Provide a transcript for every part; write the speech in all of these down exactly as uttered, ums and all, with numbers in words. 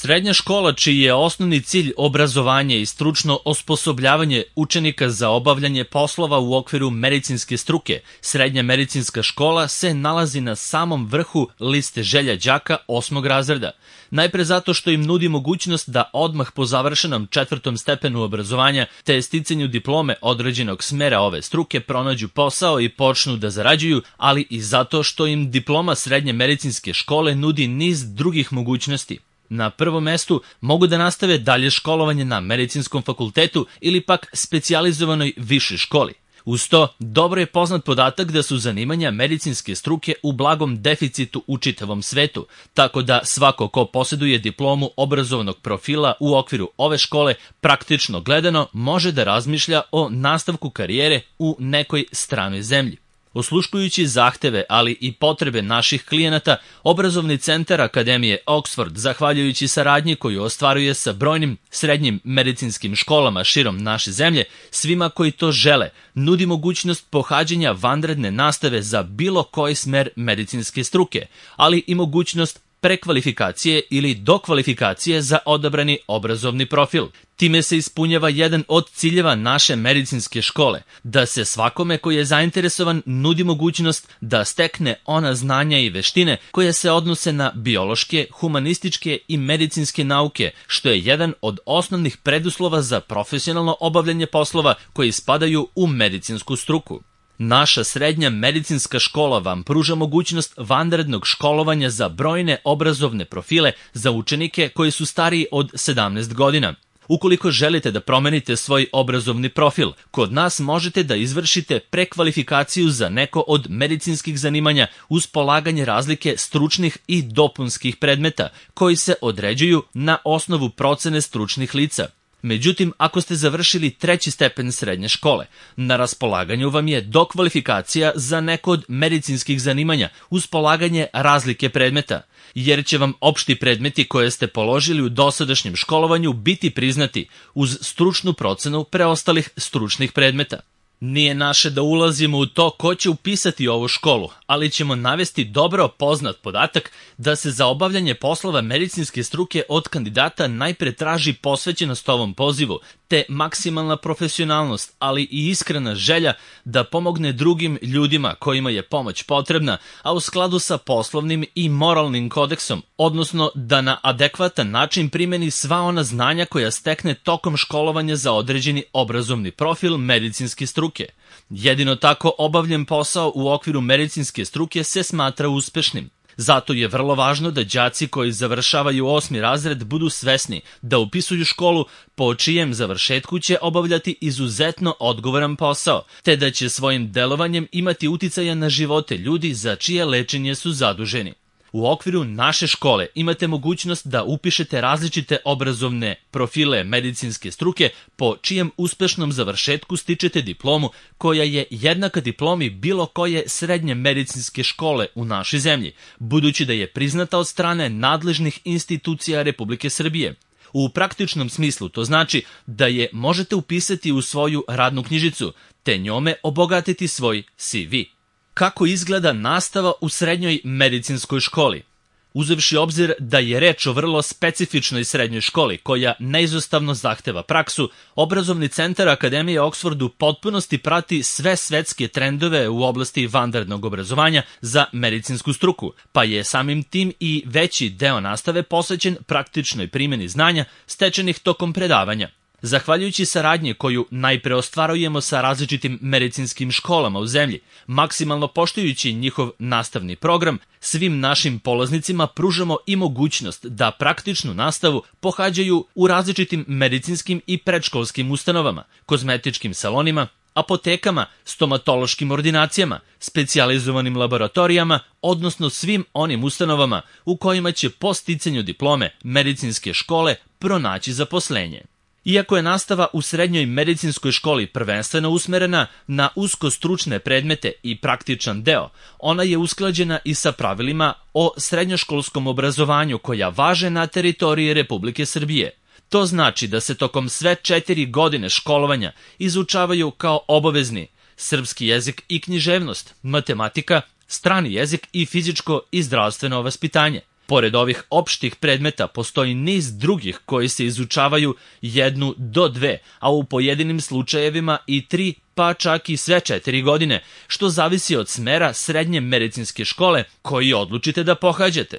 Srednja škola čiji je osnovni cilj obrazovanje i stručno osposobljavanje učenika za obavljanje poslova u okviru medicinske struke, srednja medicinska škola se nalazi na samom vrhu liste želja đaka osmog razreda. Najpre zato što im nudi mogućnost da odmah po završenom četvrtom stepenu obrazovanja te sticanju diplome određenog smera ove struke pronađu posao i počnu da zarađuju, ali i zato što im diploma srednje medicinske škole nudi niz drugih mogućnosti. Na prvom mestu mogu da nastave dalje školovanje na medicinskom fakultetu ili pak specijalizovanoj višoj školi. Uz to, dobro je poznat podatak da su zanimanja medicinske struke u blagom deficitu u čitavom svetu, tako da svako ko posjeduje diplomu obrazovnog profila u okviru ove škole, praktično gledano, može da razmišlja o nastavku karijere u nekoj stranoj zemlji. Osluškujući zahteve, ali i potrebe naših klijenata, obrazovni centar Akademije Oxford, zahvaljujući saradnji koju ostvaruje sa brojnim srednjim medicinskim školama širom naše zemlje, svima koji to žele, nudi mogućnost pohađanja vanredne nastave za bilo koji smer medicinske struke, ali i mogućnost prekvalifikacije ili dokvalifikacije za odabrani obrazovni profil. Time se ispunjava jedan od ciljeva naše medicinske škole, da se svakome koji je zainteresovan nudi mogućnost da stekne ona znanja i veštine koje se odnose na biološke, humanističke i medicinske nauke, što je jedan od osnovnih preduslova za profesionalno obavljanje poslova koji spadaju u medicinsku struku. Naša srednja medicinska škola vam pruža mogućnost vanrednog školovanja za brojne obrazovne profile za učenike koji su stariji od sedamnaest godina. Ukoliko želite da promenite svoj obrazovni profil, kod nas možete da izvršite prekvalifikaciju za neko od medicinskih zanimanja uz polaganje razlike stručnih i dopunskih predmeta, koji se određuju na osnovu procene stručnih lica. Međutim, ako ste završili treći stepen srednje škole, na raspolaganju vam je dokvalifikacija za neko od medicinskih zanimanja uz polaganje razlike predmeta, jer će vam opšti predmeti koje ste položili u dosadašnjem školovanju biti priznati uz stručnu procenu preostalih stručnih predmeta. Nije naše da ulazimo u to ko će upisati ovu školu, ali ćemo navesti dobro poznat podatak da se za obavljanje poslova medicinske struke od kandidata najpre traži posvećenost ovom pozivu, te maksimalna profesionalnost, ali i iskrena želja da pomogne drugim ljudima kojima je pomoć potrebna, a u skladu sa poslovnim i moralnim kodeksom, odnosno da na adekvatan način primeni sva ona znanja koja stekne tokom školovanja za određeni obrazovni profil medicinske struke. Jedino tako obavljen posao u okviru medicinske struke se smatra uspešnim. Zato je vrlo važno da đaci koji završavaju osmi razred budu svesni da upisuju školu po čijem završetku će obavljati izuzetno odgovoran posao, te da će svojim delovanjem imati uticaja na živote ljudi za čije lečenje su zaduženi. U okviru naše škole imate mogućnost da upišete različite obrazovne profile medicinske struke po čijem uspešnom završetku stičete diplomu koja je jednaka diplomi bilo koje srednje medicinske škole u našoj zemlji, budući da je priznata od strane nadležnih institucija Republike Srbije. U praktičnom smislu to znači da je možete upisati u svoju radnu knjižicu, te njome obogatiti svoj C V. Kako izgleda nastava u srednjoj medicinskoj školi? Uzevši obzir da je reč o vrlo specifičnoj srednjoj školi koja neizostavno zahteva praksu, obrazovni centar Akademije Oxford u potpunosti prati sve svetske trendove u oblasti vanrednog obrazovanja za medicinsku struku, pa je samim tim i veći deo nastave posvećen praktičnoj primjeni znanja stečenih tokom predavanja. Zahvaljujući saradnji koju najpre ostvarujemo sa različitim medicinskim školama u zemlji, maksimalno poštujući njihov nastavni program, svim našim polaznicima pružamo i mogućnost da praktičnu nastavu pohađaju u različitim medicinskim i predškolskim ustanovama, kozmetičkim salonima, apotekama, stomatološkim ordinacijama, specijalizovanim laboratorijama, odnosno svim onim ustanovama u kojima će po sticanju diplome medicinske škole pronaći zaposlenje. Iako je nastava u srednjoj medicinskoj školi prvenstveno usmerena na usko stručne predmete i praktičan deo, ona je usklađena i sa pravilima o srednjoškolskom obrazovanju koja važe na teritoriji Republike Srbije. To znači da se tokom sve četiri godine školovanja izučavaju kao obavezni srpski jezik i književnost, matematika, strani jezik i fizičko i zdravstveno vaspitanje. Pored ovih opštih predmeta postoji niz drugih koji se izučavaju jednu do dve, a u pojedinim slučajevima i tri, pa čak i sve četiri godine, što zavisi od smera srednje medicinske škole koji odlučite da pohađate.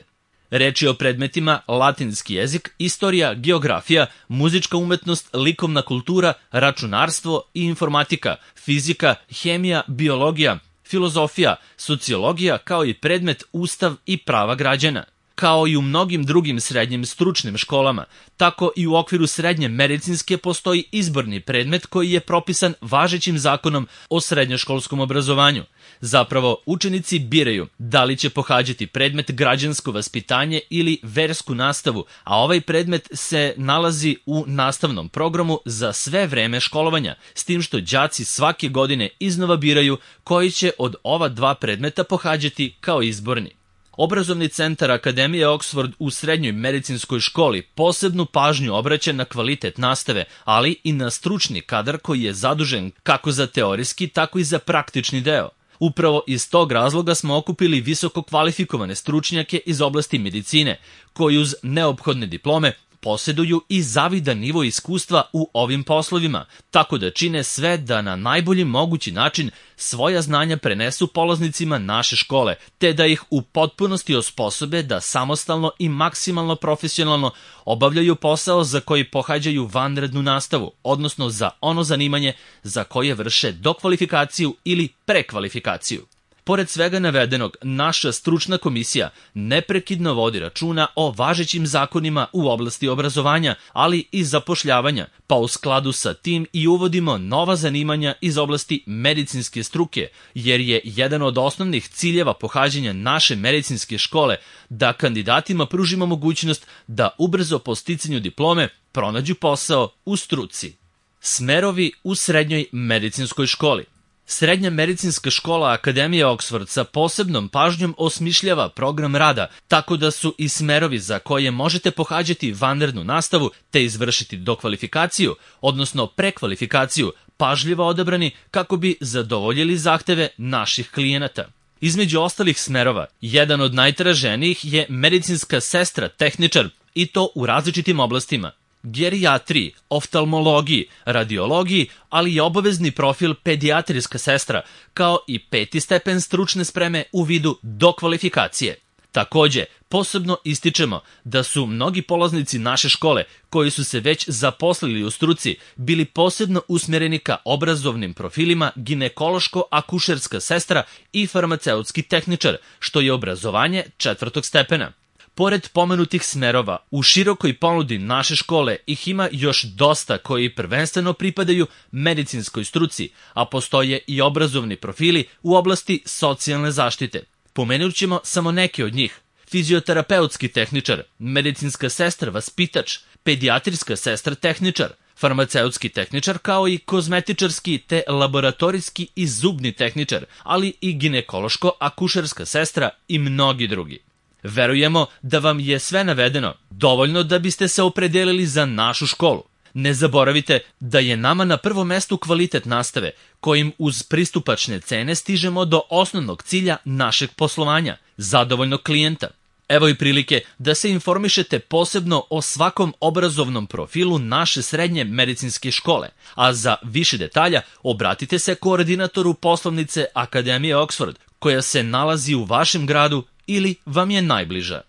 Reč je o predmetima latinski jezik, istorija, geografija, muzička umetnost, likovna kultura, računarstvo i informatika, fizika, hemija, biologija, filozofija, sociologija, kao i predmet Ustav i prava građana. Kao i u mnogim drugim srednjim stručnim školama, tako i u okviru srednje medicinske postoji izborni predmet koji je propisan važećim zakonom o srednjoškolskom obrazovanju. Zapravo, učenici biraju da li će pohađati predmet građansko vaspitanje ili versku nastavu, a ovaj predmet se nalazi u nastavnom programu za sve vreme školovanja, s tim što đaci svake godine iznova biraju koji će od ova dva predmeta pohađati kao izborni. Obrazovni centar Akademije Oxford u srednjoj medicinskoj školi posebnu pažnju obraća na kvalitet nastave, ali i na stručni kadar koji je zadužen kako za teorijski, tako i za praktični deo. Upravo iz tog razloga smo okupili visoko kvalifikovane stručnjake iz oblasti medicine, koji uz neophodne diplome posjeduju i zavidan nivo iskustva u ovim poslovima, tako da čine sve da na najbolji mogući način svoja znanja prenesu polaznicima naše škole, te da ih u potpunosti osposobe da samostalno i maksimalno profesionalno obavljaju posao za koji pohađaju vanrednu nastavu, odnosno za ono zanimanje za koje vrše dokvalifikaciju ili prekvalifikaciju. Pored svega navedenog, naša stručna komisija neprekidno vodi računa o važećim zakonima u oblasti obrazovanja, ali i zapošljavanja, pa u skladu sa tim i uvodimo nova zanimanja iz oblasti medicinske struke, jer je jedan od osnovnih ciljeva pohađanja naše medicinske škole da kandidatima pružimo mogućnost da ubrzo po sticanju diplome pronađu posao u struci. Smerovi u srednjoj medicinskoj školi. Srednja medicinska škola Akademije Oxford sa posebnom pažnjom osmišljava program rada, tako da su i smerovi za koje možete pohađati vanrednu nastavu te izvršiti dokvalifikaciju, odnosno prekvalifikaciju, pažljivo odabrani kako bi zadovoljili zahteve naših klijenata. Između ostalih smerova, jedan od najtraženijih je medicinska sestra tehničar, i to u različitim oblastima: gerijatriji, oftalmologiji, radiologiji, ali i obavezni profil pedijatrijska sestra, kao i peti stepen stručne spreme u vidu dokvalifikacije. Takođe, posebno ističemo da su mnogi polaznici naše škole, koji su se već zaposlili u struci, bili posebno usmjereni ka obrazovnim profilima ginekološko-akušerska sestra i farmaceutski tehničar, što je obrazovanje četvrtog stepena. Pored pomenutih smerova, u širokoj ponudi naše škole ih ima još dosta koji prvenstveno pripadaju medicinskoj struci, a postoje i obrazovni profili u oblasti socijalne zaštite. Pomenut ćemo samo neke od njih: fizioterapeutski tehničar, medicinska sestra vaspitač, pedijatrijska sestra tehničar, farmaceutski tehničar, kao i kozmetičarski te laboratorijski i zubni tehničar, ali i ginekološko-akušerska sestra i mnogi drugi. Verujemo da vam je sve navedeno dovoljno da biste se opredelili za našu školu. Ne zaboravite da je nama na prvom mestu kvalitet nastave, kojim uz pristupačne cene stižemo do osnovnog cilja našeg poslovanja, zadovoljnog klijenta. Evo i prilike da se informišete posebno o svakom obrazovnom profilu naše srednje medicinske škole, a za više detalja obratite se koordinatoru poslovnice Akademije Oxford, koja se nalazi u vašem gradu ili vam je najbliža.